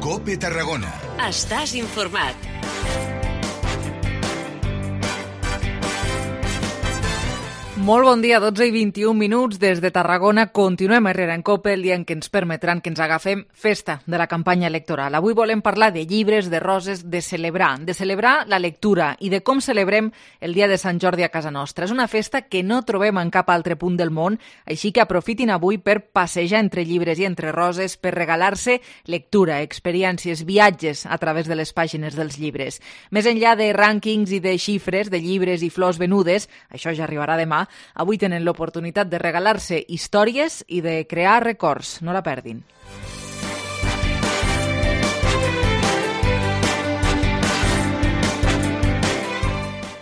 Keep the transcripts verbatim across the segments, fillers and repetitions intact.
COPE Tarragona. Estàs informat. Molt bon dia, dotze i vint-i-un minuts des de Tarragona. Continuem a Herrera en COPE, el dia en què ens permetran que ens agafem festa de la campanya electoral. Avui volem parlar de llibres, de roses, de celebrar, de celebrar la lectura i de com celebrem el dia de Sant Jordi a casa nostra. És una festa que no trobem en cap altre punt del món, així que aprofitin avui per passejar entre llibres i entre roses, per regalar-se lectura, experiències, viatges a través de les pàgines dels llibres. Més enllà de rànquings i de xifres, de llibres i flors venudes, això ja arribarà demà, avui tenen l'oportunitat de regalar-se històries i de crear records. No la perdin.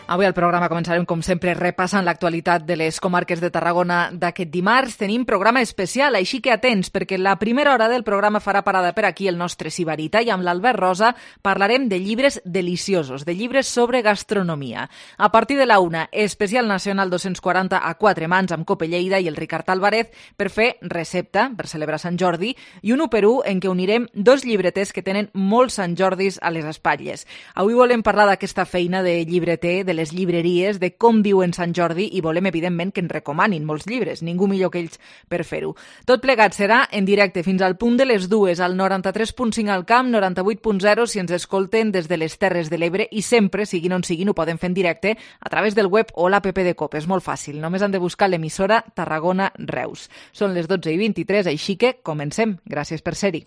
Avui al programa començarem, com sempre, repassant l'actualitat de les comarques de Tarragona d'aquest dimarts. Tenim programa especial, així que atents, perquè la primera hora del programa farà parada per aquí el nostre Sibarita i amb l'Albert Rosa parlarem de llibres deliciosos, de llibres sobre gastronomia. A partir de la una, especial nacional dos-cents quaranta a quatre mans amb Cope Lleida i el Ricard Álvarez per fer recepta, per celebrar Sant Jordi, i un u per u en què unirem dos llibreters que tenen molts Sant Jordis a les espatlles. Avui volem parlar d'aquesta feina de llibreter, de les llibreries, de com viuen Sant Jordi i volem, evidentment, que ens recomanin molts llibres. Ningú millor que ells per fer-ho. Tot plegat serà en directe fins al punt de les dues, al noranta-tres punt cinc al Camp, noranta-vuit punt zero si ens escolten des de les Terres de l'Ebre i sempre, siguin on siguin, ho poden fer en directe a través del web o l'app de COPE. És molt fàcil, només han de buscar l'emissora Tarragona Reus. Són les dotze i vint-i-tres, així que comencem. Gràcies per ser-hi.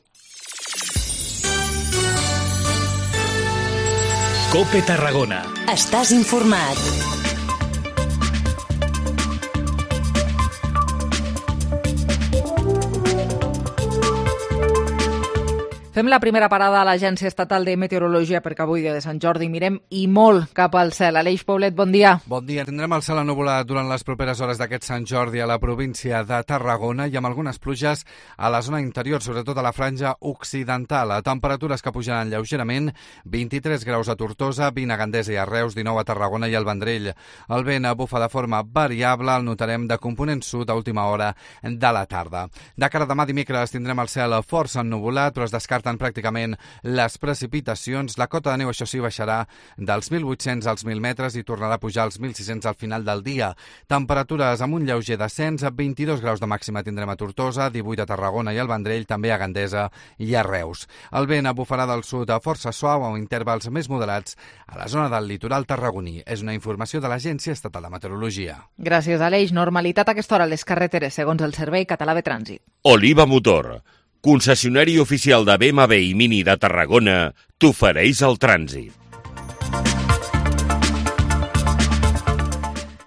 COPE Tarragona. Estàs informat. Fem la primera parada a l'Agència Estatal de Meteorologia perquè avui, dia de Sant Jordi, mirem i molt cap al cel. Aleix Poblet, bon dia. Bon dia. Tindrem el cel ennuvolat durant les properes hores d'aquest Sant Jordi a la província de Tarragona i amb algunes pluges a la zona interior, sobretot a la franja occidental. A temperatures que pujaran lleugerament, vint-i-tres graus a Tortosa, vint a Gandesa i a Reus, dinou a Tarragona i al Vendrell. El vent bufa de forma variable, el notarem de component sud a última hora de la tarda. De cara a demà dimecres tindrem el cel força ennuvolat, però es descarta pràcticament les precipitacions. La cota de neu, això sí, baixarà dels mil vuit-cents als mil metres i tornarà a pujar als mil sis-cents al final del dia. Temperatures amb un lleuger descens, vint-i-dos graus de màxima tindrem a Tortosa, divuit a Tarragona i al Vendrell, també a Gandesa i a Reus. El vent bufarà del sud a força suau amb intervals més moderats a la zona del litoral tarragoní. És una informació de l'Agència Estatal de Meteorologia. Gràcies, Aleix. Normalitat a aquesta hora a les carreteres, segons el Servei Català de Trànsit. Oliva Motor, concessionari oficial de B M W i Mini de Tarragona, t'ofereix el trànsit.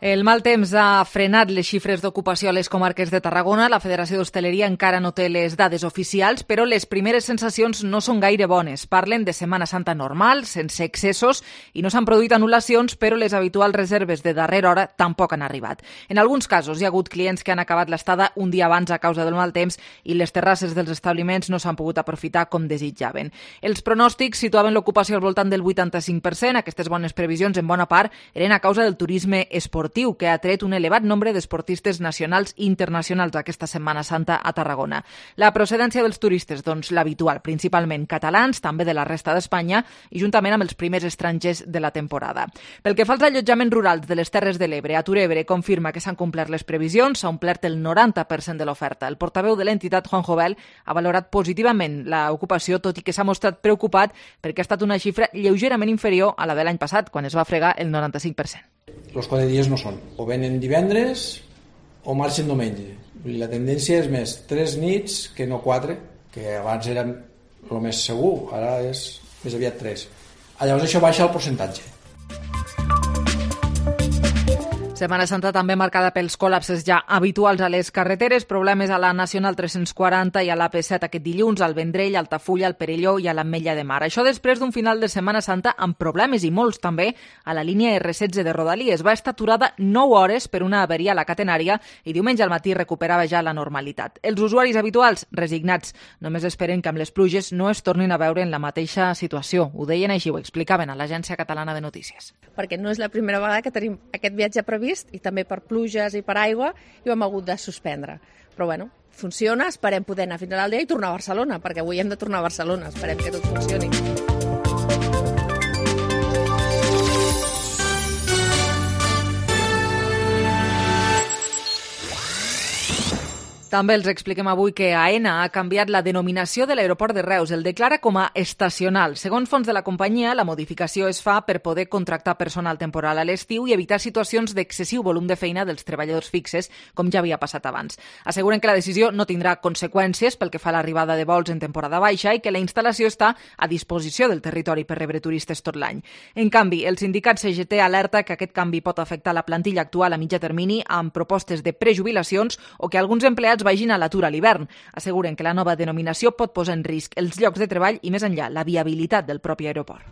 El mal temps ha frenat les xifres d'ocupació a les comarques de Tarragona. La Federació d'Hostaleria encara no té les dades oficials, però les primeres sensacions no són gaire bones. Parlen de Setmana Santa normal, sense excessos, i no s'han produït anul·lacions, però les habituals reserves de darrera hora tampoc han arribat. En alguns casos hi ha hagut clients que han acabat l'estada un dia abans a causa del mal temps i les terrasses dels establiments no s'han pogut aprofitar com desitjaven. Els pronòstics situaven l'ocupació al voltant del vuitanta-cinc per cent. Aquestes bones previsions, en bona part, eren a causa del turisme esportiu, que ha tret un elevat nombre d'esportistes nacionals i internacionals aquesta Setmana Santa a Tarragona. La procedència dels turistes, doncs l'habitual, principalment catalans, també de la resta d'Espanya, i juntament amb els primers estrangers de la temporada. Pel que fa als allotjaments rurals de les Terres de l'Ebre, Aturebre confirma que s'han complert les previsions, s'ha omplert el noranta per cent de l'oferta. El portaveu de l'entitat, Juan Jovel, ha valorat positivament l'ocupació, tot i que s'ha mostrat preocupat perquè ha estat una xifra lleugerament inferior a la de l'any passat, quan es va fregar el noranta-cinc per cent. Els quatre dies no són. O venen divendres o marxen diumenge. La tendència és més tres nits que no quatre, que abans era el més segur, ara és més aviat tres. Llavors això baixa el percentatge. Setmana Santa també marcada pels col·lapses ja habituals a les carreteres, problemes a la Nacional tres-cents quaranta i a l'A P set aquest dilluns, al Vendrell, al Altafulla, al Perelló i a l'Ametlla de Mar. Això després d'un final de Setmana Santa amb problemes i molts també a la línia erre setze de Rodalies. Va estar aturada nou hores per una avaria a la catenària i diumenge al matí recuperava ja la normalitat. Els usuaris habituals, resignats, només esperen que amb les pluges no es tornin a veure en la mateixa situació. Ho deien així, ho explicaven a l'Agència Catalana de Notícies. Perquè no és la primera vegada que tenim aquest viatge previst i també per pluges i per aigua i ho hem hagut de suspendre. Però bueno, funciona, esperem poder anar fins a l'Aldea i tornar a Barcelona, perquè avui hem de tornar a Barcelona, esperem que tot funcioni. També els expliquem avui que AENA ha canviat la denominació de l'aeroport de Reus. El declara com a estacional. Segons fons de la companyia, la modificació es fa per poder contractar personal temporal a l'estiu i evitar situacions d'excessiu volum de feina dels treballadors fixes, com ja havia passat abans. Asseguren que la decisió no tindrà conseqüències pel que fa a l'arribada de vols en temporada baixa i que la instal·lació està a disposició del territori per rebre turistes tot l'any. En canvi, el sindicat C G T alerta que aquest canvi pot afectar la plantilla actual a mitjà termini amb propostes de prejubilacions o que alguns empleats vagin a l'atur a l'hivern. Asseguren que la nova denominació pot posar en risc els llocs de treball i, més enllà, la viabilitat del propi aeroport.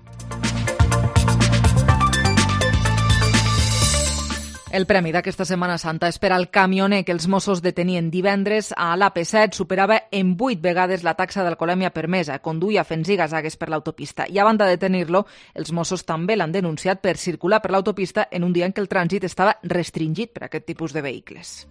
El premi d'aquesta Setmana Santa és per al camioner que els Mossos detenien divendres a l'A P set. Superava en vuit vegades la taxa d'alcoholèmia permesa. Conduïa fent ziga-zagues per l'autopista. I a banda de detenir-lo, els Mossos també l'han denunciat per circular per l'autopista en un dia en què el trànsit estava restringit per a aquest tipus de vehicles.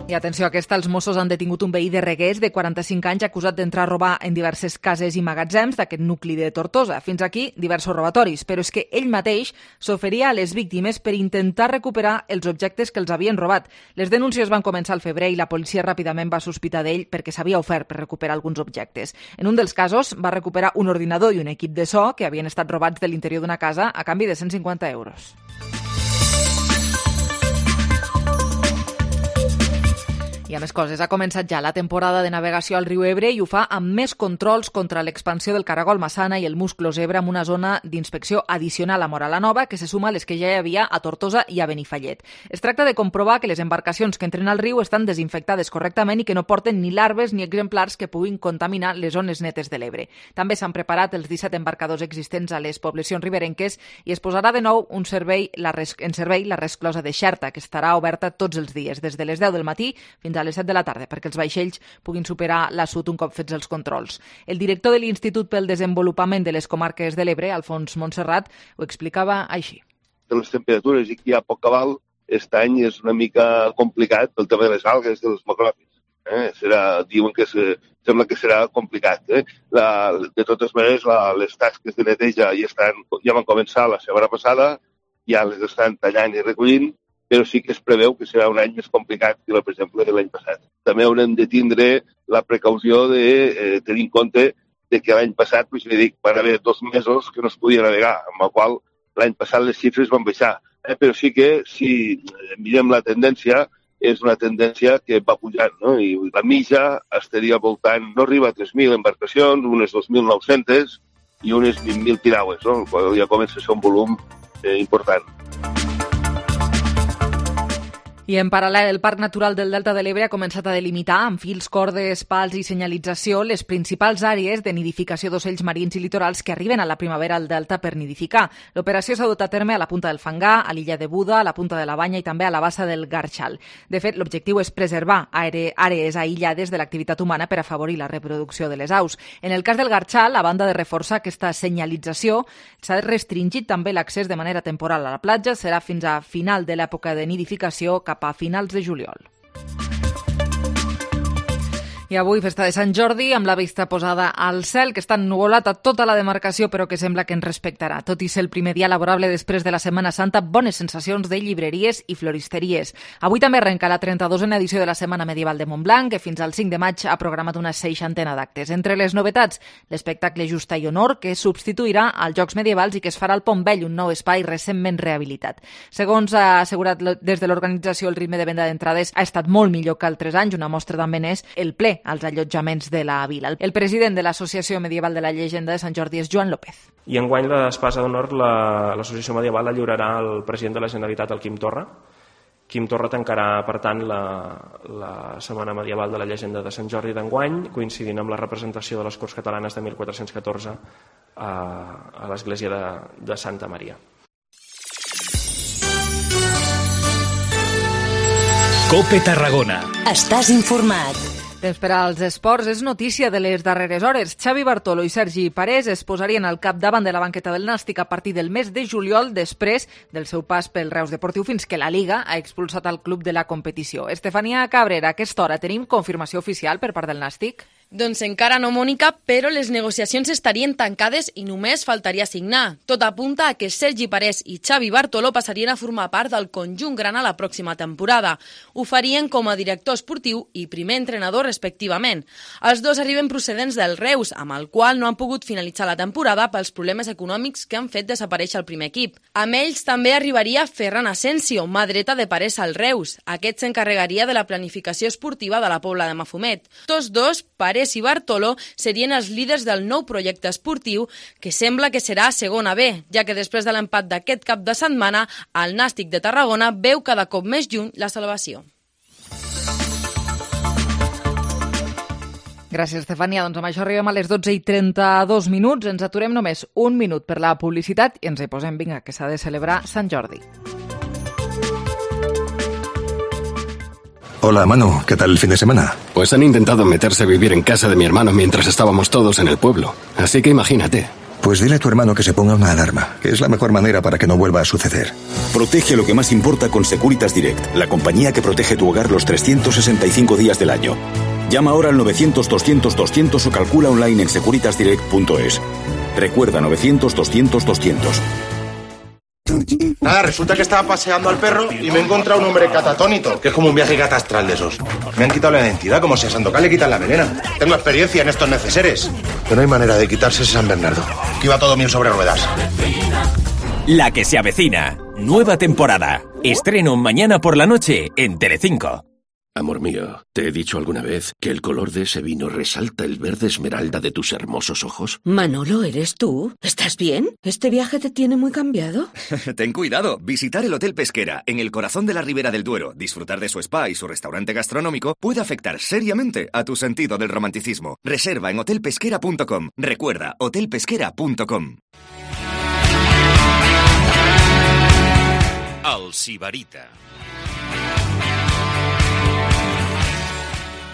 I atenció a aquesta, els Mossos han detingut un veí de Reguers de quaranta-cinc anys acusat d'entrar a robar en diverses cases i magatzems d'aquest nucli de Tortosa. Fins aquí, diversos robatoris, però és que ell mateix s'oferia a les víctimes per intentar recuperar els objectes que els havien robat. Les denúncies van començar al febrer i la policia ràpidament va sospitar d'ell perquè s'havia ofert per recuperar alguns objectes. En un dels casos va recuperar un ordinador i un equip de so que havien estat robats de l'interior d'una casa a canvi de cent cinquanta euros. I a més coses, ha començat ja la temporada de navegació al riu Ebre i ho fa amb més controls contra l'expansió del caragol massana i el musclo zebra amb una zona d'inspecció addicional a Mora la Nova que se suma a les que ja hi havia a Tortosa i a Benifallet. Es tracta de comprovar que les embarcacions que entren al riu estan desinfectades correctament i que no porten ni larves ni exemplars que puguin contaminar les zones netes de l'Ebre. També s'han preparat els disset embarcadors existents a les poblacions riberenques i es posarà de nou un servei, la res, en servei la resclosa de Xerta, que estarà oberta tots els dies, des de les deu del matí fins a les set de la tarda, perquè els vaixells puguin superar l'assut un cop fets els controls. El director de l'Institut pel Desenvolupament de les Comarques de l'Ebre, Alfons Montserrat, ho explicava així. De les temperatures i que hi ha poc cabal, aquest any és una mica complicat pel tema de les algues, dels macròfits. Eh? Serà, diuen que se, sembla que serà complicat. Eh? La, de totes maneres, la, les tasques de neteja ja, estan, ja van començar la setmana passada, ja les estan tallant i recollint, però sí que es preveu que serà un any més complicat que, per exemple, l'any passat. També haurem de tindre la precaució de eh, tenir en compte de que l'any passat, pues, dic, van haver dos mesos que no es podia navegar, amb el qual l'any passat les xifres van baixar. Eh, però sí que, si mirem la tendència, és una tendència que va pujant, no? I la mitja estaria voltant, no arriba a tres mil embarcacions, unes dos mil nou-centes i unes vint mil piragües, no? El qual ja comença a ser un volum eh, important. I en paral·lel, el Parc Natural del Delta de l'Ebre ha començat a delimitar amb fils, cordes, pals i senyalització les principals àrees de nidificació d'ocells marins i litorals que arriben a la primavera al Delta per nidificar. L'operació s'ha dut a terme a la Punta del Fangar, a l'illa de Buda, a la Punta de la Banya i també a la bassa del Garxal. De fet, l'objectiu és preservar àrees aïllades de l'activitat humana per afavorir la reproducció de les aus. En el cas del Garxal, a banda de reforçar aquesta senyalització, s'ha restringit també l'accés de manera temporal a la platja. Serà fins a final de l'època de nidificació cap a finals de juliol. I avui, festa de Sant Jordi, amb la vista posada al cel, que està ennuvolat a tota la demarcació, però que sembla que ens respectarà. Tot i ser el primer dia laborable després de la Setmana Santa, bones sensacions de llibreries i floristeries. Avui també arrenca la trenta-dosena edició de la Setmana Medieval de Montblanc, que fins al cinc de maig ha programat una seixantena d'actes. Entre les novetats, l'espectacle Justa i Honor, que substituirà als Jocs Medievals i que es farà al Pont Vell, un nou espai recentment rehabilitat. Segons ha assegurat des de l'organització, el ritme de venda d'entrades ha estat molt millor que altres anys. Una mostra també n'és el ple als allotjaments de la vila. El president de l'Associació Medieval de la Llegenda de Sant Jordi és Joan López. I enguany l'espasa d'honor l'Associació Medieval la lliurarà al president de la Generalitat, el Quim Torra. Quim Torra tancarà, per tant, la, la Setmana Medieval de la Llegenda de Sant Jordi d'enguany, coincidint amb la representació de les Corts Catalanes de mil quatre-cents catorze a, a l'església de, de Santa Maria. COPE Tarragona. Estàs informat. Temps per als esports és notícia de les darreres hores. Xavi Bartolo i Sergi Parés es posarien al capdavant de la banqueta del Nàstic a partir del mes de juliol, després del seu pas pel Reus Deportiu, fins que la Liga ha expulsat el club de la competició. Estefania Cabrera, a aquesta hora tenim confirmació oficial per part del Nàstic? Doncs encara no, Mònica, però les negociacions estarien tancades i només faltaria signar. Tot apunta a que Sergi Parés i Xavi Bartolo passarien a formar part del conjunt grana la pròxima temporada. Ho farien com a director esportiu i primer entrenador respectivament. Els dos arriben procedents del Reus, amb el qual no han pogut finalitzar la temporada pels problemes econòmics que han fet desaparèixer el primer equip. Amb ells també arribaria Ferran Asensio, mà dreta de Parés al Reus. Aquest s'encarregaria de la planificació esportiva de la Pobla de Mafumet. Tots dos, Parés i Bartolo, serien els líders del nou projecte esportiu, que sembla que serà a segona B, ja que després de l'empat d'aquest cap de setmana, el Nàstic de Tarragona veu cada cop més lluny la salvació. Gràcies, Estefania. Doncs amb això arribem a les dotze i trenta-dos minuts. Ens aturem només un minut per la publicitat i ens hi posem, vinga, que s'ha de celebrar Sant Jordi. Hola, Manu, ¿qué tal el fin de semana? Pues han intentado meterse a vivir en casa de mi hermano mientras estábamos todos en el pueblo. Así que imagínate. Pues dile a tu hermano que se ponga una alarma, que es la mejor manera para que no vuelva a suceder. Protege lo que más importa con Securitas Direct, la compañía que protege tu hogar los trescientos sesenta y cinco días del año. Llama ahora al novecientos doscientos doscientos o calcula online en securitas direct punto es. Recuerda, novecientos doscientos doscientos. Nada, resulta que estaba paseando al perro y me he encontrado un hombre catatónito, que es como un viaje catastral de esos. Me han quitado la identidad, como si a Sandokan le quitan la melena. Tengo experiencia en estos neceseres. Pero no hay manera de quitarse ese San Bernardo, que iba todo bien sobre ruedas. La que se avecina. Nueva temporada. Estreno mañana por la noche en Telecinco. Amor mío, ¿te he dicho alguna vez que el color de ese vino resalta el verde esmeralda de tus hermosos ojos? Manolo, ¿eres tú? ¿Estás bien? ¿Este viaje te tiene muy cambiado? Ten cuidado. Visitar el Hotel Pesquera en el corazón de la Ribera del Duero, disfrutar de su spa y su restaurante gastronómico puede afectar seriamente a tu sentido del romanticismo. Reserva en hotel pesquera punto com. Recuerda, hotel pesquera punto com. El Sibarita.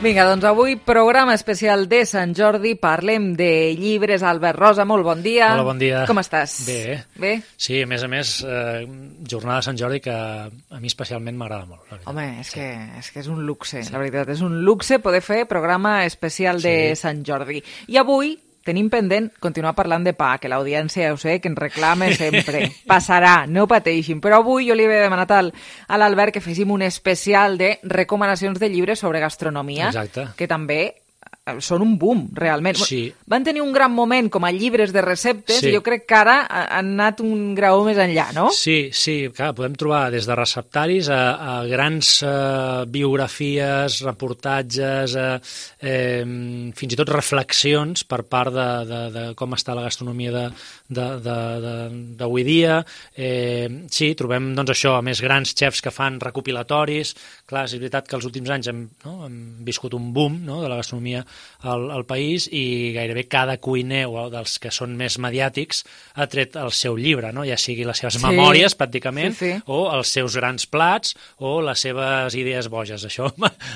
Vinga, doncs avui programa especial de Sant Jordi, parlem de llibres. Albert Rosa, molt bon dia. Hola, bon dia. Com estàs? Bé. Bé? Sí, a més a més, eh, jornada de Sant Jordi que a mi especialment m'agrada molt. Home, és, sí. que, és que és un luxe, sí. La veritat, és un luxe poder fer programa especial de sí. Sant Jordi. I avui tenim pendent continuar parlant de pa, que l'audiència, ja ho sé, que ens reclama sempre. Passarà, no pateixin. Però avui jo li havia demanat al, a l'Albert que féssim un especial de recomanacions de llibres sobre gastronomia, Exacte. Que també són un boom, realment. Sí. Van tenir un gran moment com a llibres de receptes sí. i jo crec que ara han anat un graó més enllà, no? Sí, sí, clar, podem trobar des de receptaris a, a grans uh, biografies, reportatges, uh, eh, fins i tot reflexions per part de, de, de com està la gastronomia d'avui dia. Eh, sí, trobem doncs, això, a més grans xefs que fan recopilatoris. Clar, és veritat que els últims anys hem, no, hem viscut un boom, no, de la gastronomia Al, al país i gairebé cada cuiner o dels que són més mediàtics ha tret el seu llibre, no? Ja sigui les seves sí. memòries, pràcticament, sí, sí. o els seus grans plats o les seves idees boges. Això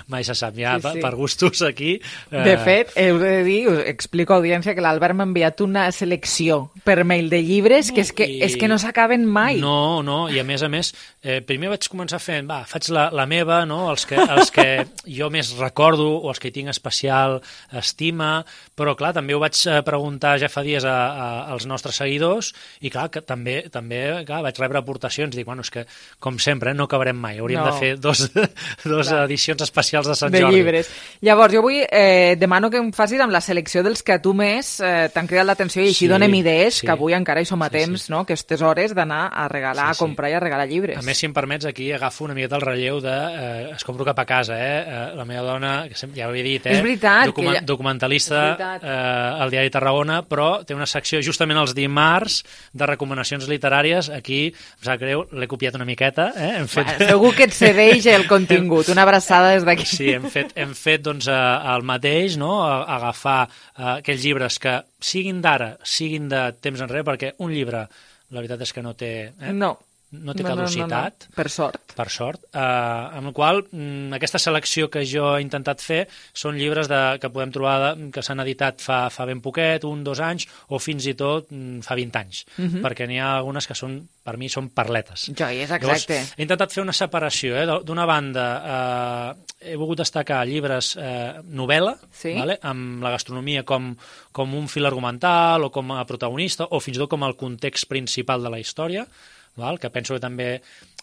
mai se sap, ja sí, sí. per gustos aquí. Eh... De fet, heu de dir, us explico a audiència, que l'Albert m'ha enviat una selecció per mail de llibres que és que, I... és que no s'acaben mai. No, no, i a més a més, eh, primer vaig començar fent, va, faig la, la meva, no? els, que, els que jo més recordo o els que tinc especial estima, però clar, també ho vaig preguntar ja fa dies a, a, als nostres seguidors i clar, que també, també clar, vaig rebre aportacions i dic, bueno, és que com sempre no acabarem mai, hauríem no. de fer dos, dos edicions especials de Sant de Jordi. Llibres. Llavors, jo avui eh, demano que em facis amb la selecció dels que a tu més eh, t'han cridat l'atenció i així sí, donem idees, sí. que avui encara hi som a temps, sí, sí. no? Aquestes hores d'anar a regalar, sí, sí. a comprar i a regalar llibres. A més, si em permets, aquí agafo una miqueta el relleu de eh, es compro cap a casa, eh? eh la meva dona, que ja ho he dit, eh? És veritat, Document, ja... documentalista eh, al Diari Tarragona, però té una secció justament els dimarts de recomanacions literàries. Aquí, em sap greu, l'he copiat una miqueta. Eh? Hem fet... Bueno, segur que et cedeix el contingut. Una abraçada des d'aquí. Sí, hem fet, hem fet doncs, el mateix, no? Agafar uh, aquells llibres que siguin d'ara, siguin de temps enrere, perquè un llibre, la veritat és que no té... Eh? No. no té no, caducitat. No, no, no. Per sort. Per sort. Uh, amb la qual mm, aquesta selecció que jo he intentat fer són llibres de, que podem trobar de, que s'han editat fa, fa ben poquet, un, dos anys, o fins i tot mm, fa vint anys. Uh -huh. Perquè n'hi ha algunes que són, per mi, són perletes. Joies, exacte. Llavors, he intentat fer una separació. Eh? D'una banda, eh, he volgut destacar llibres eh, novel·la, sí? Vale? Amb la gastronomia com, com un fil argumental o com a protagonista, o fins i tot com el context principal de la història, val? Que penso que també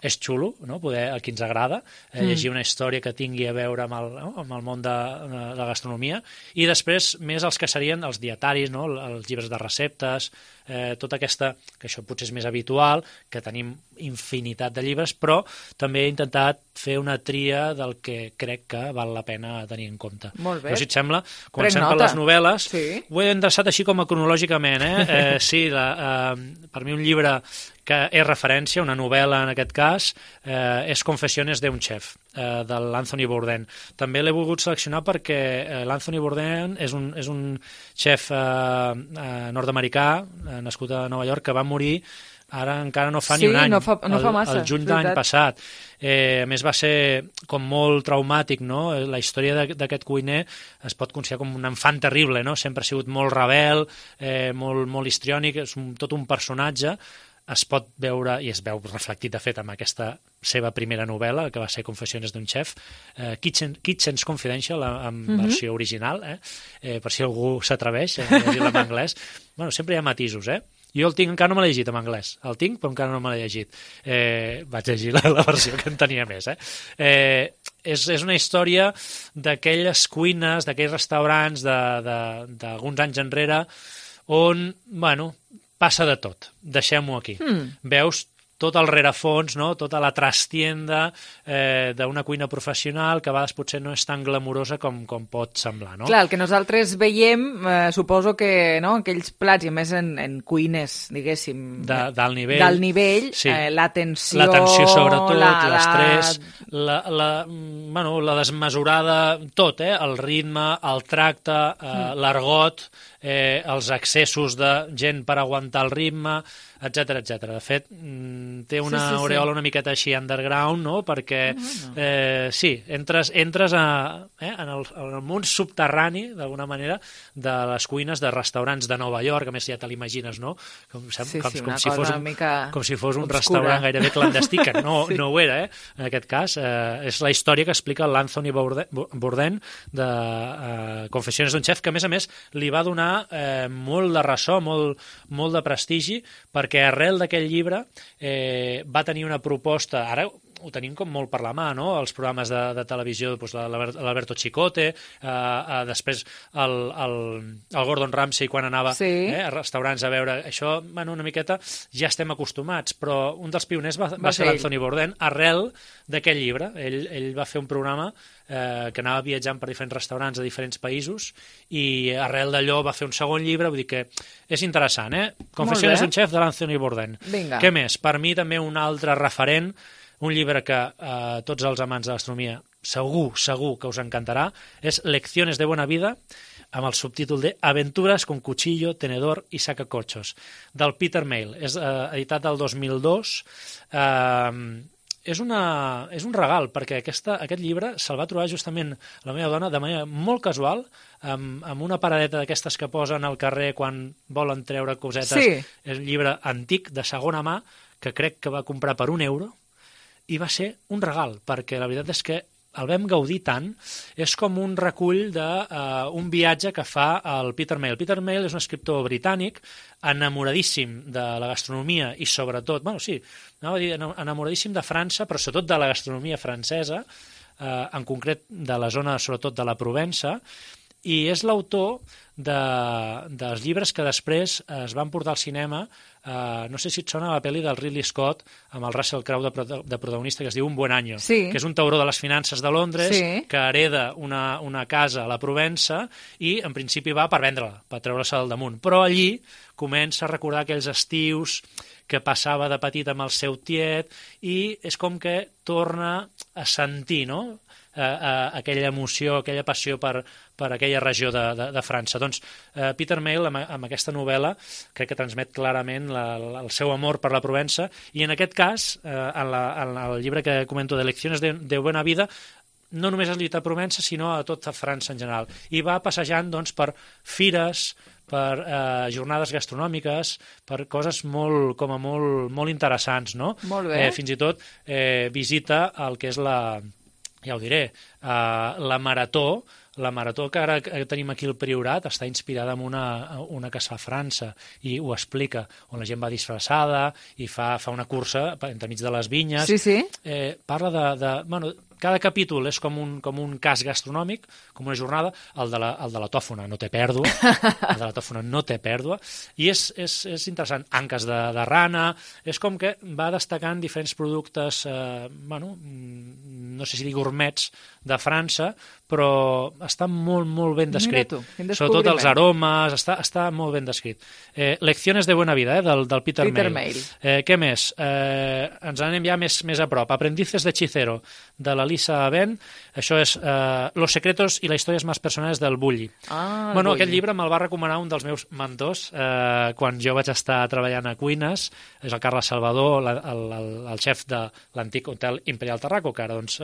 és xulo, no? Poder, el que ens agrada, eh, mm. llegir una història que tingui a veure amb el, no? amb el món de, de la gastronomia, i després més els que serien els dietaris, no? Els llibres de receptes, eh, tota aquesta, que això potser és més habitual, que tenim infinitat de llibres, però també he intentat fer una tria del que crec que val la pena tenir en compte. Molt bé. Però, si et sembla, comencem per les novel·les. Sí. Ho he endreçat així com a cronològicament, eh? eh sí, la, eh, per mi un llibre que és referència, una novel·la en aquest cas, eh, és Confessiones de un chef, eh, de l'Anthony Bourdain. També l'he volgut seleccionar perquè eh, l'Anthony Bourdain és un, és un chef eh, eh, nord-americà, eh, nascut a Nova York, que va morir ara encara no fa sí, ni un any, no fa, no el, fa massa, el juny de l'any passat. Eh, a més, va ser com molt traumàtic, no? La història d'aquest cuiner es pot considerar com un enfant terrible, no? Sempre ha sigut molt rebel, eh, molt, molt histriònic, és un, tot un personatge. Es pot veure, i es veu reflectit de fet amb aquesta seva primera novel·la, que va ser Confessiones d'un chef, eh, Kitchen, Kitchen's Confidential, en mm-hmm. versió original, eh? Eh, per si algú s'atreveix a llegir-la en anglès. Bueno, sempre hi ha matisos, eh? Jo el tinc, encara no me l'he llegit en anglès. El tinc, però encara no me l'he llegit. Eh, vaig llegir la, la versió que en tenia més, eh? eh és, és una història d'aquelles cuines, d'aquells restaurants d'alguns anys enrere, on, bueno, passa de tot. Deixem-ho aquí. Mm. Veus tot el rerefons, no? Tota la trastienda eh, d'una cuina professional que a vegades potser no és tan glamurosa com, com pot semblar, no? Clar, el que nosaltres veiem, eh, suposo que no? Aquells plats, i a més en, en cuines, diguéssim... De, d'alt nivell. D'alt nivell, sí. eh, l'atenció... L'atenció, sobretot, la, l'estrès, la, la, bueno, la desmesurada... Tot, eh? El ritme, el tracte, eh, mm. l'argot, eh, els excessos de gent per aguantar el ritme, etcètera, etcètera. De fet, té una sí, sí, aureola sí. una miqueta així underground, no? Perquè, eh, sí, entres, entres a, eh, en, el, en el món subterrani, d'alguna manera, de les cuines de restaurants de Nova York, a més ja te l'imagines, no? Com, sí, com, sí, com, si fos un, com si fos un obscura. Restaurant gairebé clandestí, que no, sí. no ho era, eh? En aquest cas, eh, és la història que explica l'Anthony Bourdain de eh, Confessiones d'un chef, que a més a més li va donar eh, molt de ressò, molt, molt de prestigi, perquè que arrel d'aquell llibre eh, va tenir una proposta, ara ho tenim com molt per la mà, no? Els programes de, de televisió, doncs, l'Alberto Chicote, eh, eh, després el, el, el Gordon Ramsay quan anava sí. eh, a restaurants a veure això, bueno, una miqueta ja estem acostumats, però un dels pioners va, va, va ser l'Anthony Bourdain arrel d'aquell llibre. Ell, ell va fer un programa eh, que anava viatjant per diferents restaurants de diferents països i arrel d'allò va fer un segon llibre, vull dir que és interessant, eh? Confessiones d'un chef de l'Anthony Bourdain. Vinga. Què més? Per mi també un altre referent, un llibre que eh, tots els amants de l'astronomia segur, segur que us encantarà, és Lecciones de Buena Vida, amb el subtítol de Aventuras con cuchillo, tenedor y sacacorchos, del Peter Mayle. És eh, editat del dos mil dos. Eh, és, una, és un regal, perquè aquesta, aquest llibre se'l va trobar justament la meva dona de manera molt casual, amb, amb una paradeta d'aquestes que posen al carrer quan volen treure cosetes. Sí. És un llibre antic, de segona mà, que crec que va comprar per un euro, i va ser un regal, perquè la veritat és que el vam gaudir tant. És com un recull d'un uh, viatge que fa el Peter Mayle. Peter Mayle és un escriptor britànic enamoradíssim de la gastronomia i sobretot, bueno, sí, anava a dir enamoradíssim de França, però sobretot de la gastronomia francesa, uh, en concret de la zona, sobretot de la Provença, i és l'autor de, dels llibres que després es van portar al cinema. Uh, no sé si et sona la pel·li del Ridley Scott amb el Russell Crowe de, de protagonista, que es diu Un buen año, sí. que és un tauró de les finances de Londres, sí. que hereda una, una casa a la Provença i en principi va per vendre-la, per treure-se del damunt, però allí comença a recordar aquells estius que passava de petit amb el seu tiet i és com que torna a sentir, no? eh, eh, aquella emoció, aquella passió per, per aquella regió de, de, de França. Doncs eh, Peter Mayle, amb, amb aquesta novel·la, crec que transmet clarament la, la, el seu amor per la Provença, i en aquest cas, eh, en, la, en el llibre que comento de Lecciones de, de Buena Vida, no només es lluita a Provença, sinó a tota França en general. I va passejant doncs, per fires, per eh, jornades gastronòmiques, per coses molt, com a molt, molt interessants, no? Molt bé. Eh, fins i tot eh, visita el que és la, ja ho diré, eh, la marató, la marató que ara tenim aquí al Priorat està inspirada en una, una que es fa a França i ho explica, on la gent va disfressada i fa, fa una cursa entremig de les vinyes. Sí, sí. Eh, parla de... de bueno, cada capítol és com un, com un cas gastronòmic, com una jornada. El de la, el de la tòfona no té pèrdua, el de la tòfona no té pèrdua, i és, és, és interessant. Anques de, de rana, és com que va destacant diferents productes, eh, bueno, no sé si dir gourmets, de França, però està molt, molt ben descrit. Mira tu, sobretot els aromes, està, està molt ben descrit. Eh, Lecciones de Buena Vida, eh, del, del Peter, Peter Mayle. Mayle. Eh, què més? Eh, ens anem ja més, més a prop. Aprendices de Hechicero, de la Lisa Ben. Això és eh, Los secretos i les històries més personals del Bulli. Ah, bueno, Bulli. Aquest llibre me'l va recomanar un dels meus mentors eh, quan jo vaig estar treballant a Cuines. És el Carles Salvador, la, el, el, el xef de l'antic Hotel Imperial Tarraco, que ara, doncs,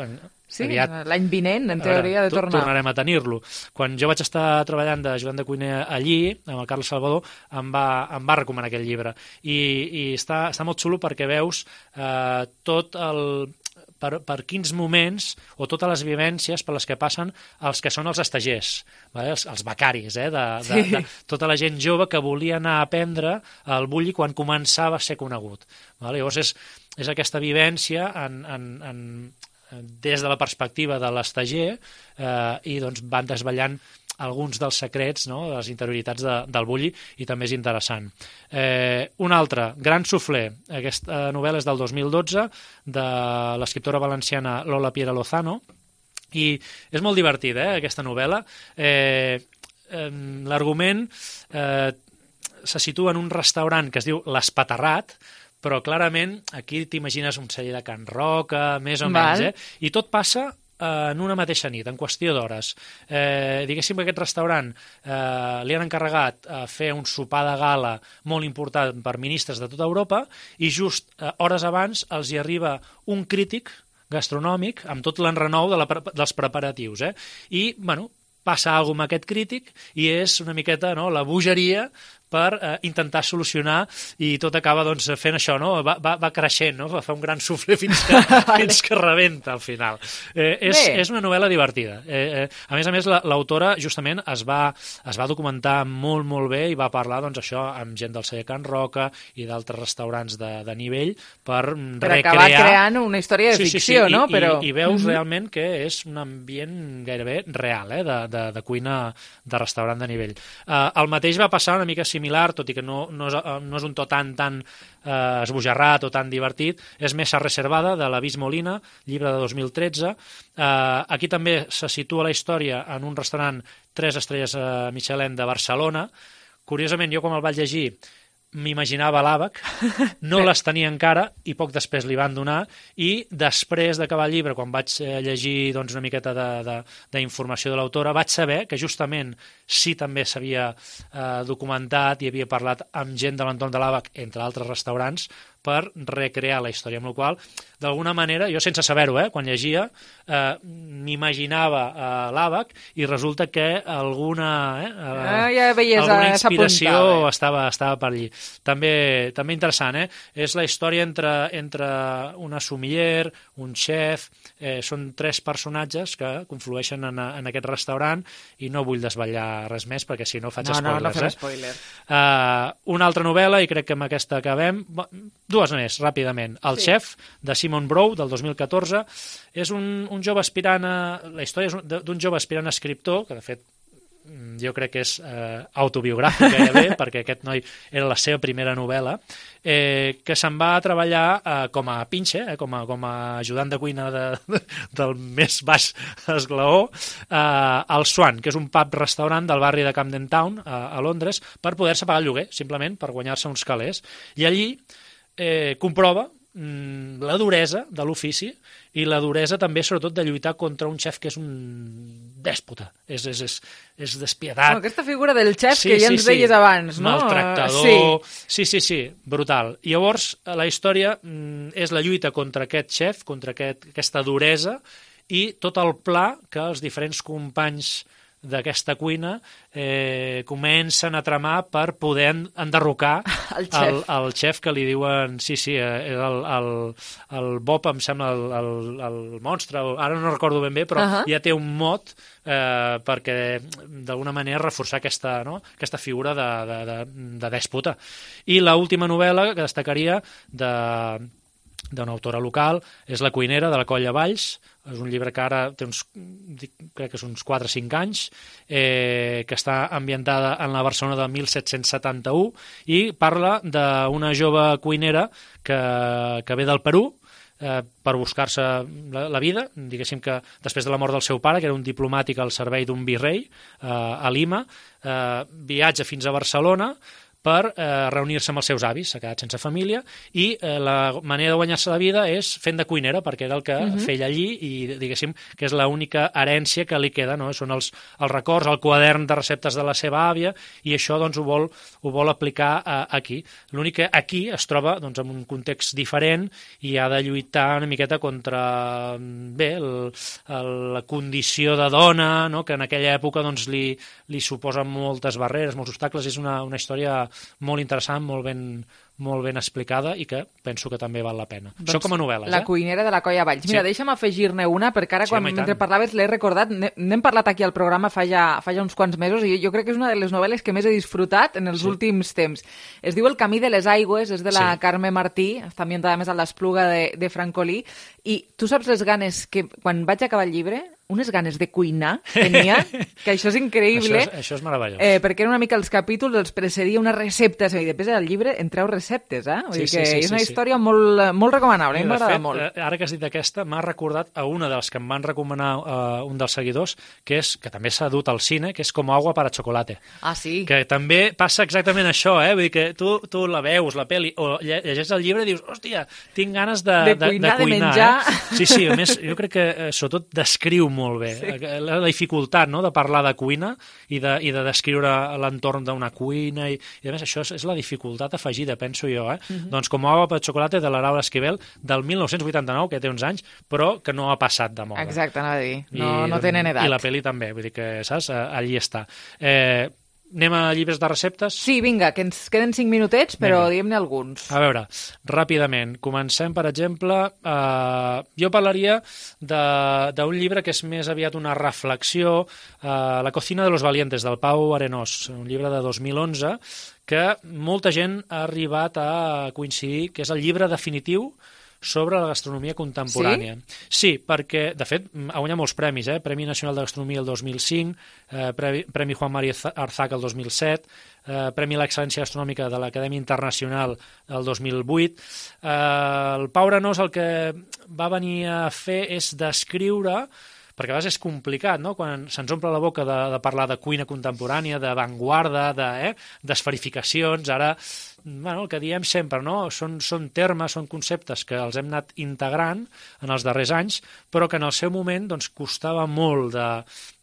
sí, aviat... l'any vinent, en teoria, de tornar. Tornarem a tenir-lo. Quan jo vaig estar treballant d'ajudant de cuiner allí, amb el Carles Salvador, em va, em va recomanar aquest llibre. I, i està, està molt xulo perquè veus eh, tot el... Per, per quins moments o totes les vivències per les que passen els que són els estagers, vale? els, els becaris, eh? de, de, Sí. de tota la gent jove que volia anar a aprendre el Bulli quan començava a ser conegut. Vale? Llavors és, és aquesta vivència en, en, en, des de la perspectiva de l'estager eh, i doncs van desvetllant alguns dels secrets, no?, de les interioritats de, del Bulli, i també és interessant. Eh, un altre, Gran Soufflé. Aquesta novel·la és del dos mil dotze, de l'escriptora valenciana Lola Piera Lozano, i és molt divertida, eh, aquesta novel·la. Eh, eh, l'argument eh, se situa en un restaurant que es diu l'Espaterrat, però clarament aquí t'imagines un celler de Can Roca, més o Val. menys, eh? I tot passa en una mateixa nit, en qüestió d'hores. Eh, diguéssim que aquest restaurant eh, li han encarregat a fer un sopar de gala molt important per ministres de tota Europa i just eh, hores abans els hi arriba un crític gastronòmic amb tot l'enrenou de la, dels preparatius. Eh? I, bueno, passa alguna cosa amb aquest crític i és una miqueta, no?, la bogeria per eh, intentar solucionar, i tot acaba doncs, fent això, no? va, va, va creixent, no? Va fer un gran suflé fins que, fins que rebenta al final. Eh, és, és una novel·la divertida. Eh, eh, a més a més, l'autora justament es va, es va documentar molt, molt bé i va parlar, doncs, això amb gent del celler Can Roca i d'altres restaurants de, de nivell per, per recrear... acabar creant una història de sí, ficció, sí, sí. no? I, Però... i, i veus mm-hmm. realment que és un ambient gairebé real, eh? de, de, de cuina de restaurant de nivell. Eh, el mateix va passar una mica similar, tot i que no, no, és, no és un to tan, tan eh, esbojarrat o tan divertit, és Mesa Reservada, de l'Avís Molina, llibre de dos mil tretze. Eh, aquí també se situa la història en un restaurant tres estrelles eh, Michelin de Barcelona. Curiosament, jo quan el vaig llegir m'imaginava l'àbac, no les tenia encara i poc després li van donar, i després d'acabar el llibre, quan vaig llegir doncs, una miqueta d'informació de, de, de l'autora, vaig saber que justament sí també s'havia eh, documentat i havia parlat amb gent de l'entorn de l'àbac, entre altres restaurants, per recrear la història, amb la qual cosa, d'alguna manera, jo sense saber-ho, eh, quan llegia, eh, m'imaginava eh, l'àbac i resulta que alguna, eh, ah, ja veies, alguna inspiració eh? estava, estava per allí. També, també interessant, eh? És la història entre, entre una sommelier, un chef, eh, són tres personatges que conflueixen en, en aquest restaurant i no vull desvetllar res més perquè si no faig no, spoilers. No, no fem eh? spoiler. Uh, una altra novel·la, i crec que amb aquesta acabem, dues més, ràpidament. El sí. Chef, de Simon Brough, del dos mil catorze, és un, un jove aspirant a... La història és d'un jove aspirant a escriptor, que de fet jo crec que és eh, autobiogràfic gairebé, perquè aquest noi era la seva primera novel·la, eh, que se'n va a treballar eh, com a pinche, eh, com, a, com a ajudant de cuina de, de, del més baix esglaó, eh, al Swan, que és un pub-restaurant del barri de Camden Town, a, a Londres, per poder-se pagar el lloguer, simplement per guanyar-se uns calés. I allí eh, comprova mm, la duresa de l'ofici i la duresa també, sobretot, de lluitar contra un xef que és un dèspota, és, és, és, és despietat. Bueno, aquesta figura del xef sí, que ja sí, ens sí. deies abans, no? Maltractador... Sí. sí, sí, sí, brutal. I llavors, la història mm, és la lluita contra aquest xef, contra aquest, aquesta duresa, i tot el pla que els diferents companys d'aquesta cuina eh, comencen a tramar per poder enderrocar el xef. El, el xef que li diuen, sí, sí, eh, el, el, el Bob em sembla el, el, el monstre, ara no recordo ben bé, però uh -huh. ja té un mot eh, perquè d'alguna manera reforçar aquesta, no? aquesta figura de, de, de, de dèspota. I l'última novel·la que destacaria de d'una autora local, és La cuinera, de la Colla Valls. És un llibre que ara té uns, crec que són uns quatre o cinc anys, eh, que està ambientada en la Barcelona de mil set-cents setanta-u i parla d'una jove cuinera que, que ve del Perú, eh, per buscar-se la, la vida, diguéssim que després de la mort del seu pare, que era un diplomàtic al servei d'un virrei eh, a Lima, eh, viatja fins a Barcelona per eh, reunir-se amb els seus avis, s'ha quedat sense família, i eh, la manera de guanyar-se la vida és fent de cuinera, perquè era el que uh-huh. feia allí, i diguéssim que és l'única herència que li queda, no? Són els, els records, el quadern de receptes de la seva àvia, i això doncs ho vol, ho vol aplicar eh, aquí. L'únic que aquí es troba doncs, en un context diferent i ha de lluitar una miqueta contra bé, el, el, la condició de dona, no? Que en aquella època doncs, li, li suposa moltes barreres, molts obstacles. És una, una història molt interessant, molt ben, molt ben explicada i que penso que també val la pena. Doncs això com a novel·les, La eh? cuinera de la Colla Valls. Mira, sí. deixa'm afegir-ne una, perquè ara, Sí, quan home, i mentre tant. parlaves, l'he recordat, n'hem parlat aquí al programa fa ja, fa ja uns quants mesos, i jo crec que és una de les novel·les que més he disfrutat en els Sí. últims temps. Es diu El camí de les aigües, és de la Sí. Carme Martí, està ambientada més a l'Espluga de, de Francolí, i tu saps les ganes que, quan vaig acabar el llibre, unes ganes de cuinar tenia, que això és increïble. Això és, això és meravellós. Eh, perquè era una mica els capítols, els precedia una recepta, i després del llibre en treu receptes, eh? Vull Sí, dir sí, que sí, és una sí, sí. història molt, molt recomanable, Mira, m'ha de agradat fet, molt. eh, ara que has dit aquesta, m'ha recordat a una de les que em van recomanar uh, un dels seguidors, que és que també s'ha dut al cine, que és Com agua para chocolate. Ah, sí? Que també passa exactament això, eh? Vull dir que tu, tu la veus, la pel·li, o lle- llegeix el llibre i dius, hòstia, tinc ganes de, De cuinar, de menjar. Eh? Sí, sí, a més, jo crec que eh, sobretot descriu molt bé Sí. eh, la, la dificultat, no?, de parlar de cuina i de, i de descriure l'entorn d'una cuina, i, i a més això és, és la dificultat afegida, penso jo, eh? Mhm. Doncs Com agua para chocolate, de la Laura Esquivel, del mil nou-cents vuitanta-nou, que té uns anys, però que no ha passat de moda. Exacte, anava a dir. No, I, no tenen edat. I la pel·li també, vull dir que, saps, allí està. Eh, anem a llibres de receptes? Sí, vinga, que ens queden cinc minutets, però Vinga. diguem-ne alguns. A veure, ràpidament, comencem, per exemple, eh, jo parlaria de- d'un llibre que és més aviat una reflexió, eh, La cocina de los valientes, del Pau Arenós, un llibre de dos mil onze, que molta gent ha arribat a coincidir que és el llibre definitiu sobre la gastronomia contemporània. Sí? Sí, perquè, de fet, ha guanyat molts premis, eh? Premi Nacional de Gastronomia el dos mil cinc, eh, Premi, Premi Juan María Arzac el dos mil set, eh, Premi a l'Excel·lència Gastronòmica de l'Acadèmia Internacional el dos mil vuit. Eh, el Pau Arenós el que va venir a fer és descriure, perquè a vegades és complicat, no?, quan se'ns omple la boca de, de parlar de cuina contemporània, d'avantguarda, de, eh, d'esferificacions. Ara, bueno, el que diem sempre, no?, són, són termes, són conceptes que els hem anat integrant en els darrers anys, però que en el seu moment doncs, costava molt de,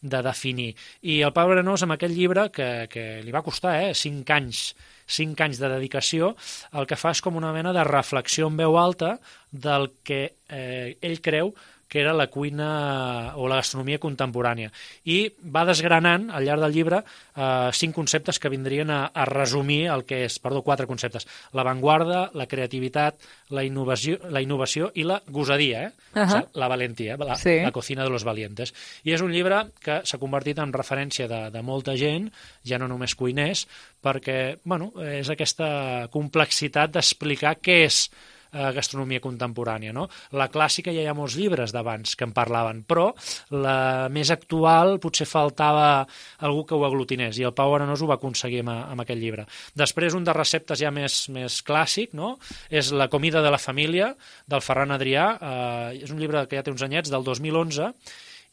de definir. I el Pau Arenós, amb aquest llibre, que, que li va costar eh, cinc anys, cinc anys de dedicació, el que fa és com una mena de reflexió en veu alta del que eh, ell creu que era la cuina o la gastronomia contemporània. I va desgranant, al llarg del llibre, eh, cinc conceptes que vindrien a, a resumir el que és, perdó, quatre conceptes. L'avantguarda, la creativitat, la innovació, la innovació i la gosadia, eh? Uh-huh. O sigui, la valentia, la, Sí. la cocina de los valientes. I és un llibre que s'ha convertit en referència de, de molta gent, ja no només cuiners, perquè, bueno, és aquesta complexitat d'explicar què és eh, gastronomia contemporània, no? La clàssica ja hi ha molts llibres d'abans que en parlaven, però la més actual potser faltava algú que ho aglutinés, i el Pau Arenós ho va aconseguir amb, amb aquest llibre. Després, un de receptes ja més, més clàssic, no?, és La comida de la família, del Ferran Adrià. Eh, és un llibre que ja té uns anyets, del dos mil onze,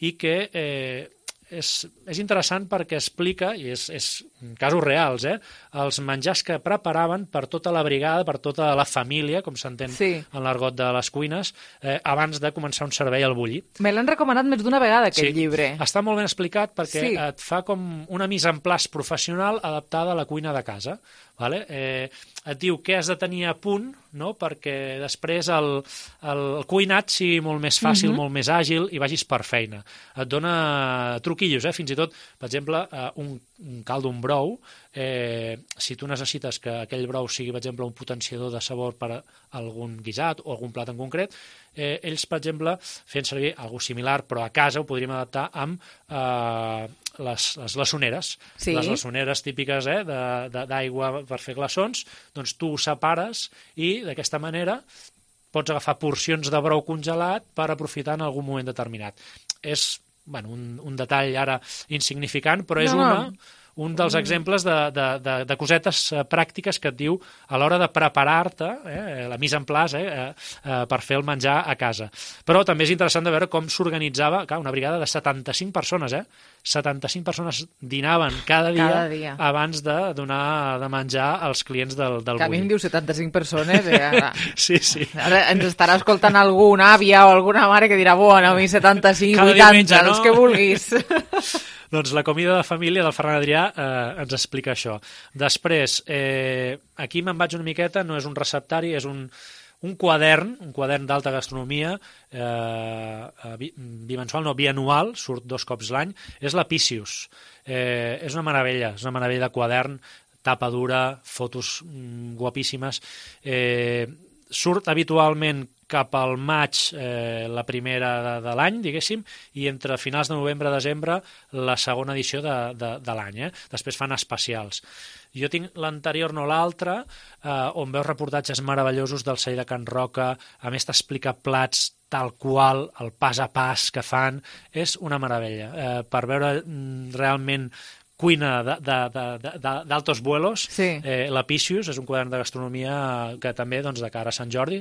i que eh, és, és interessant perquè explica, i és, és casos reals, eh, els menjars que preparaven per tota la brigada, per tota la família, com s'entén sí. en l'argot de les cuines, eh, abans de començar un servei al bulli. Me l'han recomanat més d'una vegada, aquest sí. llibre. Està molt ben explicat perquè sí. et fa com una mise en place professional adaptada a la cuina de casa. Vale? Eh, et diu què has de tenir a punt, no? perquè després el, el, el cuinat sigui molt més fàcil, uh-huh. molt més àgil i vagis per feina. Et dona truquillos, eh? fins i tot, per exemple, eh, un, un caldo, un brou, eh, si tu necessites que aquell brou sigui, per exemple, un potenciador de sabor per a algun guisat o algun plat en concret, eh, ells, per exemple, fent servir alguna similar, però a casa ho podríem adaptar amb eh, les, les glaçoneres. Sí. Les glaçoneres típiques eh, d'aigua per fer glaçons, doncs tu ho separes i d'aquesta manera pots agafar porcions de brou congelat per aprofitar en algun moment determinat. És bueno, un, un detall ara insignificant, però és no, una... No. un dels exemples de, de, de, de cosetes pràctiques que et diu a l'hora de preparar-te, eh, la mise en place, eh, eh, per fer el menjar a casa. Però també és interessant de veure com s'organitzava una brigada de setanta-cinc persones, eh? setanta-cinc persones dinaven cada dia, cada dia. abans de donar de menjar als clients del, del que a mi em diu setanta-cinc persones. Eh, ara. sí, sí. Ara ens estarà escoltant alguna àvia o alguna mare que dirà, bueno, a mi setanta-cinc, vuitanta, els que vulguis. Doncs la comida de família del Ferran Adrià eh, ens explica això. Després, eh, aquí me'n vaig una miqueta, no és un receptari, és un, un quadern, un quadern d'alta gastronomia, eh, bimensual, no, bianual, surt dos cops l'any, és la Picius. Eh, és una meravella, és una meravella de quadern, tapa dura, fotos mm, guapíssimes. Eh, surt habitualment cap al maig, eh, la primera de, de l'any, diguéssim, i entre finals de novembre i desembre la segona edició de, de, de l'any. Eh? Després fan especials. Jo tinc l'anterior, no l'altre, eh, on veus reportatges meravellosos del celler de Can Roca, a més t'explica plats tal qual, el pas a pas que fan, és una meravella. Eh, per veure mm, realment cuina d'altos vuelos, sí. eh, la Picius és un quadern de gastronomia que també, doncs, de cara a Sant Jordi,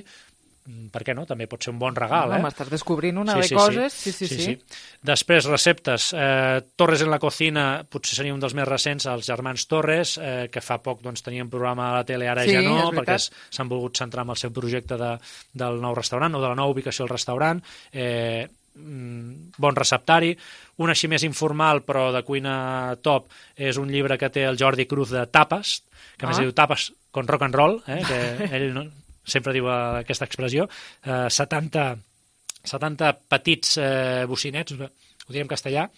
per què no? També pot ser un bon regal. No, eh? M'estàs descobrint una sí, de sí, coses. Sí. Sí, sí, sí, sí. sí. Després, receptes. Eh, Torres en la cocina, potser seria un dels més recents, els germans Torres, eh, que fa poc doncs, tenien programa a la tele, ara sí, ja no, perquè s'han volgut centrar en el seu projecte de, del nou restaurant o de la nova ubicació del restaurant. Eh, bon receptari. Un així més informal, però de cuina top, és un llibre que té el Jordi Cruz de Tapes, que a més ah. diu Tapes con rock and roll, eh, que ell no, sempre diu aquesta expressió, eh, setanta, setanta petits eh, bocinets, ho direm en castellà,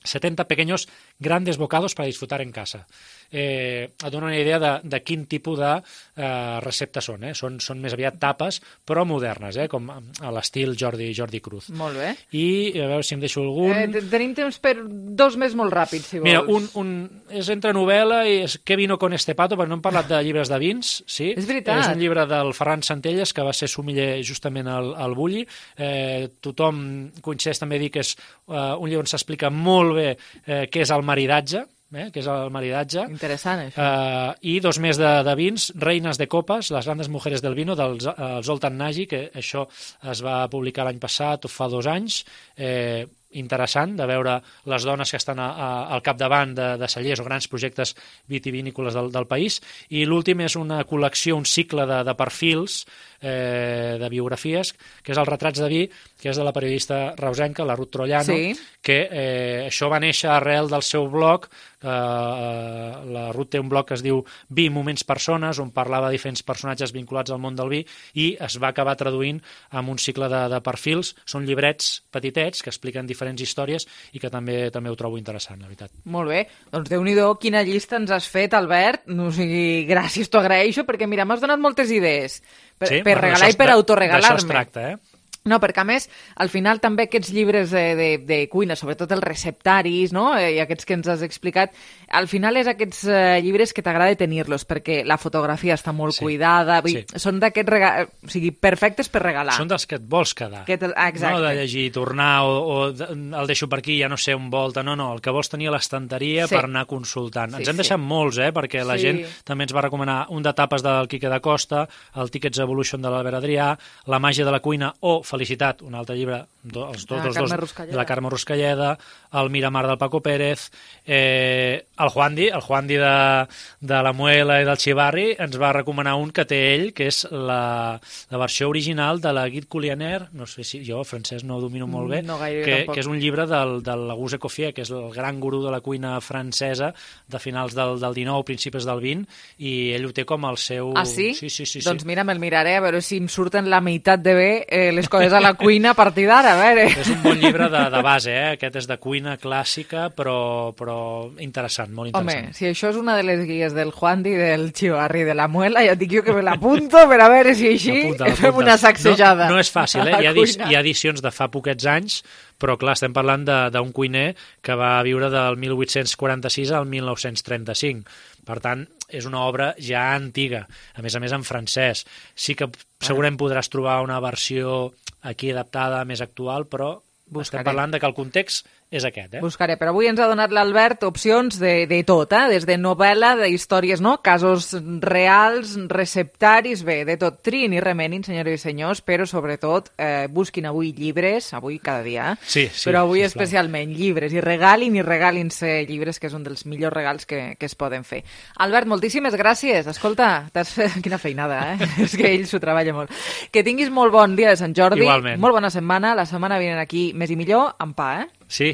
setenta pequeños grandes bocados para disfrutar en casa. Eh, et dona una idea de, de quin tipus de eh, receptes són, eh? són. Són més aviat tapes, però modernes, eh? com a l'estil Jordi, Jordi Cruz. Molt bé. I a veure si em deixo algun... Eh, tenim temps per dos més molt ràpids, si vols. Mira, un, un, és entre novel·la i és Què vino con este pato, perquè no hem parlat de llibres de vins, sí? És veritat. És un llibre del Ferran Centelles, que va ser sommelier justament al, al Bulli. Eh, tothom coincideix també a dir que és eh, un llibre on s'explica molt bé eh, què és el maridatge, Eh, que és el maridatge. Interessant, això. Uh, I dos més de, de vins, Reines de Copes, les grandes mujeres del vino, del uh, Zoltan Nagy, que això es va publicar l'any passat o fa dos anys. Eh, interessant de veure les dones que estan a, a, al capdavant de, de cellers o grans projectes vitivinícoles del, del país. I l'últim és una col·lecció, un cicle de, de perfils, eh, de biografies, que és el Retrats de vi, que és de la periodista reusenca, la Ruth Trollano, sí. que eh, això va néixer arrel del seu blog. Eh, la Ruth té un blog que es diu Vi, moments, persones, on parlava de diferents personatges vinculats al món del vi, i es va acabar traduint amb un cicle de, de perfils. Són llibrets petitets que expliquen diferents històries i que també també ho trobo interessant, la veritat. Molt bé. Doncs Déu-n'hi-do, quina llista ens has fet, Albert. No, o sigui, gràcies, t'ho agraeixo, perquè mira, m'has donat moltes idees per, sí, per bueno, regalar i per autoregalar-me. D'això es tracta, eh? No, perquè a més, al final també aquests llibres de, de, de cuina, sobretot els receptaris, no? I aquests que ens has explicat, al final és aquests eh, llibres que t'agrada tenir-los, perquè la fotografia està molt sí. cuidada, sí. són d'aquests regals, o sigui, perfectes per regalar. Són dels que et vols quedar, que te... ah, no de llegir i tornar, o, o el deixo per aquí, ja no sé on volta, no, no, el que vols tenir a l'estanteria sí. per anar consultant. Sí, ens hem sí. deixat molts, eh, perquè la sí. gent també ens va recomanar un de tapes del Quique da Costa, el Tickets Evolution de l'Albert Adrià, La màgia de la cuina o Felicitat, un altre llibre, els dos, Ah, dos, Carme dos Ruscalleda. de la Carme Ruscalleda, el Miramar del Paco Pérez, eh, el Juandi, el Juandi de, de la Muela i del Xivarri, ens va recomanar un que té ell, que és la, la versió original de la Guide Culinaire, no sé si jo, francès, no ho domino molt bé, No gaire, que, tampoc. que és un llibre del, del Auguste Escoffier, que és el gran gurú de la cuina francesa de finals del, del dinou, principis del vint, i ell ho té com el seu... Ah, sí? Sí, sí, sí. Doncs sí. mira, me'l miraré, a veure si em surten la meitat de bé eh, les coses a la cuina a partir d'ara, a veure. És un bon llibre de, de base, eh? Aquest és de cuina clàssica, però, però interessant, molt interessant. Home, si això és una de les guies del Juandi, del Xivarri, de la Muela, ja et dic jo que me l'apunto per a veure si així Apunta, fem apunta. una sacsejada. No, no és fàcil, eh? a la Hi ha, edi cuina. hi ha edicions de fa poquets anys, però clar, estem parlant de- d'un cuiner que va viure del mil vuit-cents quaranta-sis al mil nou-cents trenta-cinc. Per tant, és una obra ja antiga, a més a més en francès. Sí que segurament podràs trobar una versió aquí adaptada, més actual, però Buscaré. estem parlant de que el context és aquest, eh? Buscaré, però avui ens ha donat l'Albert opcions de, de tot, eh? Des de novel·la, d'històries, no? Casos reals, receptaris, bé, de tot. Triïn i remenin, senyores i senyors, però sobretot eh, busquin avui llibres, avui cada dia, eh? Sí, sí, però avui sisplau. especialment llibres, i regalin i regalin-se llibres, que és un dels millors regals que, que es poden fer. Albert, moltíssimes gràcies. Escolta, t'has fet... Quina feinada, eh? És que ell s'ho treballa molt. Que tinguis molt bon dia de Sant Jordi. Igualment. Molt bona setmana. La setmana vinent aquí més i millor, amb pa, eh? Sí.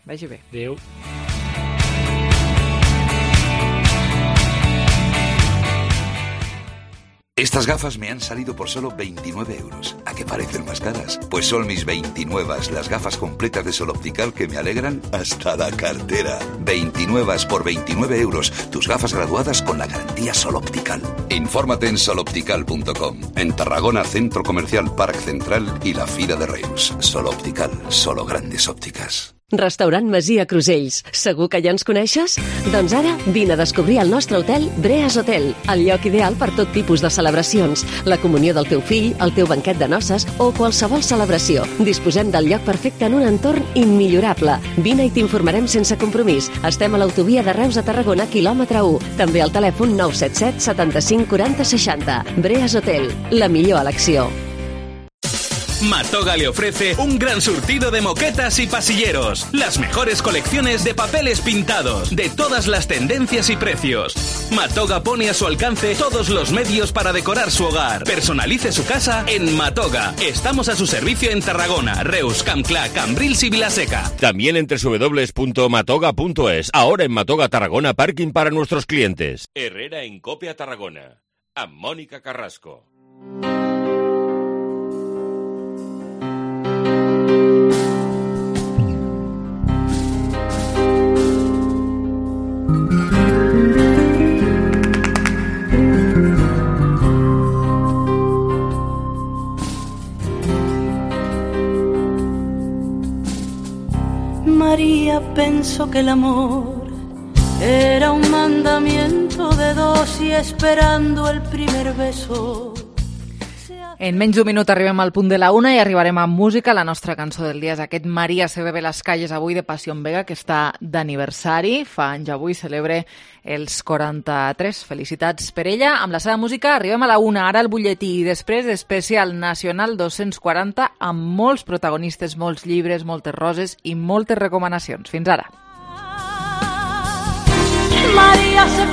Vagi bé. Adéu. Estas gafas me han salido por solo veintinueve euros. ¿A qué parecen más caras? Pues son mis veintinueve, las gafas completas de Sol Optical que me alegran hasta la cartera. veintinueve por veintinueve euros. Tus gafas graduadas con la garantía Sol Optical. Infórmate en sol optical punto com. En Tarragona, Centro Comercial Parc Central y la Fira de Reus. Sol Optical, solo grandes ópticas. Restaurant Masia Crusells. Segur que ja ens coneixes? Doncs ara vine a descobrir el nostre hotel Breas Hotel, el lloc ideal per tot tipus de celebracions, la comunió del teu fill, el teu banquet de noces o qualsevol celebració. Disposem del lloc perfecte en un entorn immillorable. Vine i t'informarem sense compromís. Estem a l'autovia de Reus a Tarragona, quilòmetre u. També al telèfon nou set set setanta-cinc quaranta seixanta. Breas Hotel, la millor elecció. Matoga le ofrece un gran surtido de moquetas y pasilleros, las mejores colecciones de papeles pintados, de todas las tendencias y precios. Matoga pone a su alcance todos los medios para decorar su hogar. Personalice su casa en Matoga. Estamos a su servicio en Tarragona, Reus, Campclà, Cambrils y Vilaseca. También en doble u doble u doble u punto matoga punto es. Ahora en Matoga Tarragona, parking para nuestros clientes. Herrera en Copia Tarragona. A Mónica Carrasco. María pensó que el amor era un mandamiento de dos y esperando el primer beso. En menys d'un minut arribem al punt de la una i arribarem amb música. La nostra cançó del dia és aquest Maria se bebe las calles avui de Passió Vega, que està d'aniversari. Fa anys avui, celebre els quaranta-tres. Felicitats per ella. Amb la seva música arribem a la una, ara el butlletí i després especial nacional dos-cents quaranta amb molts protagonistes, molts llibres, moltes roses i moltes recomanacions. Fins ara. María se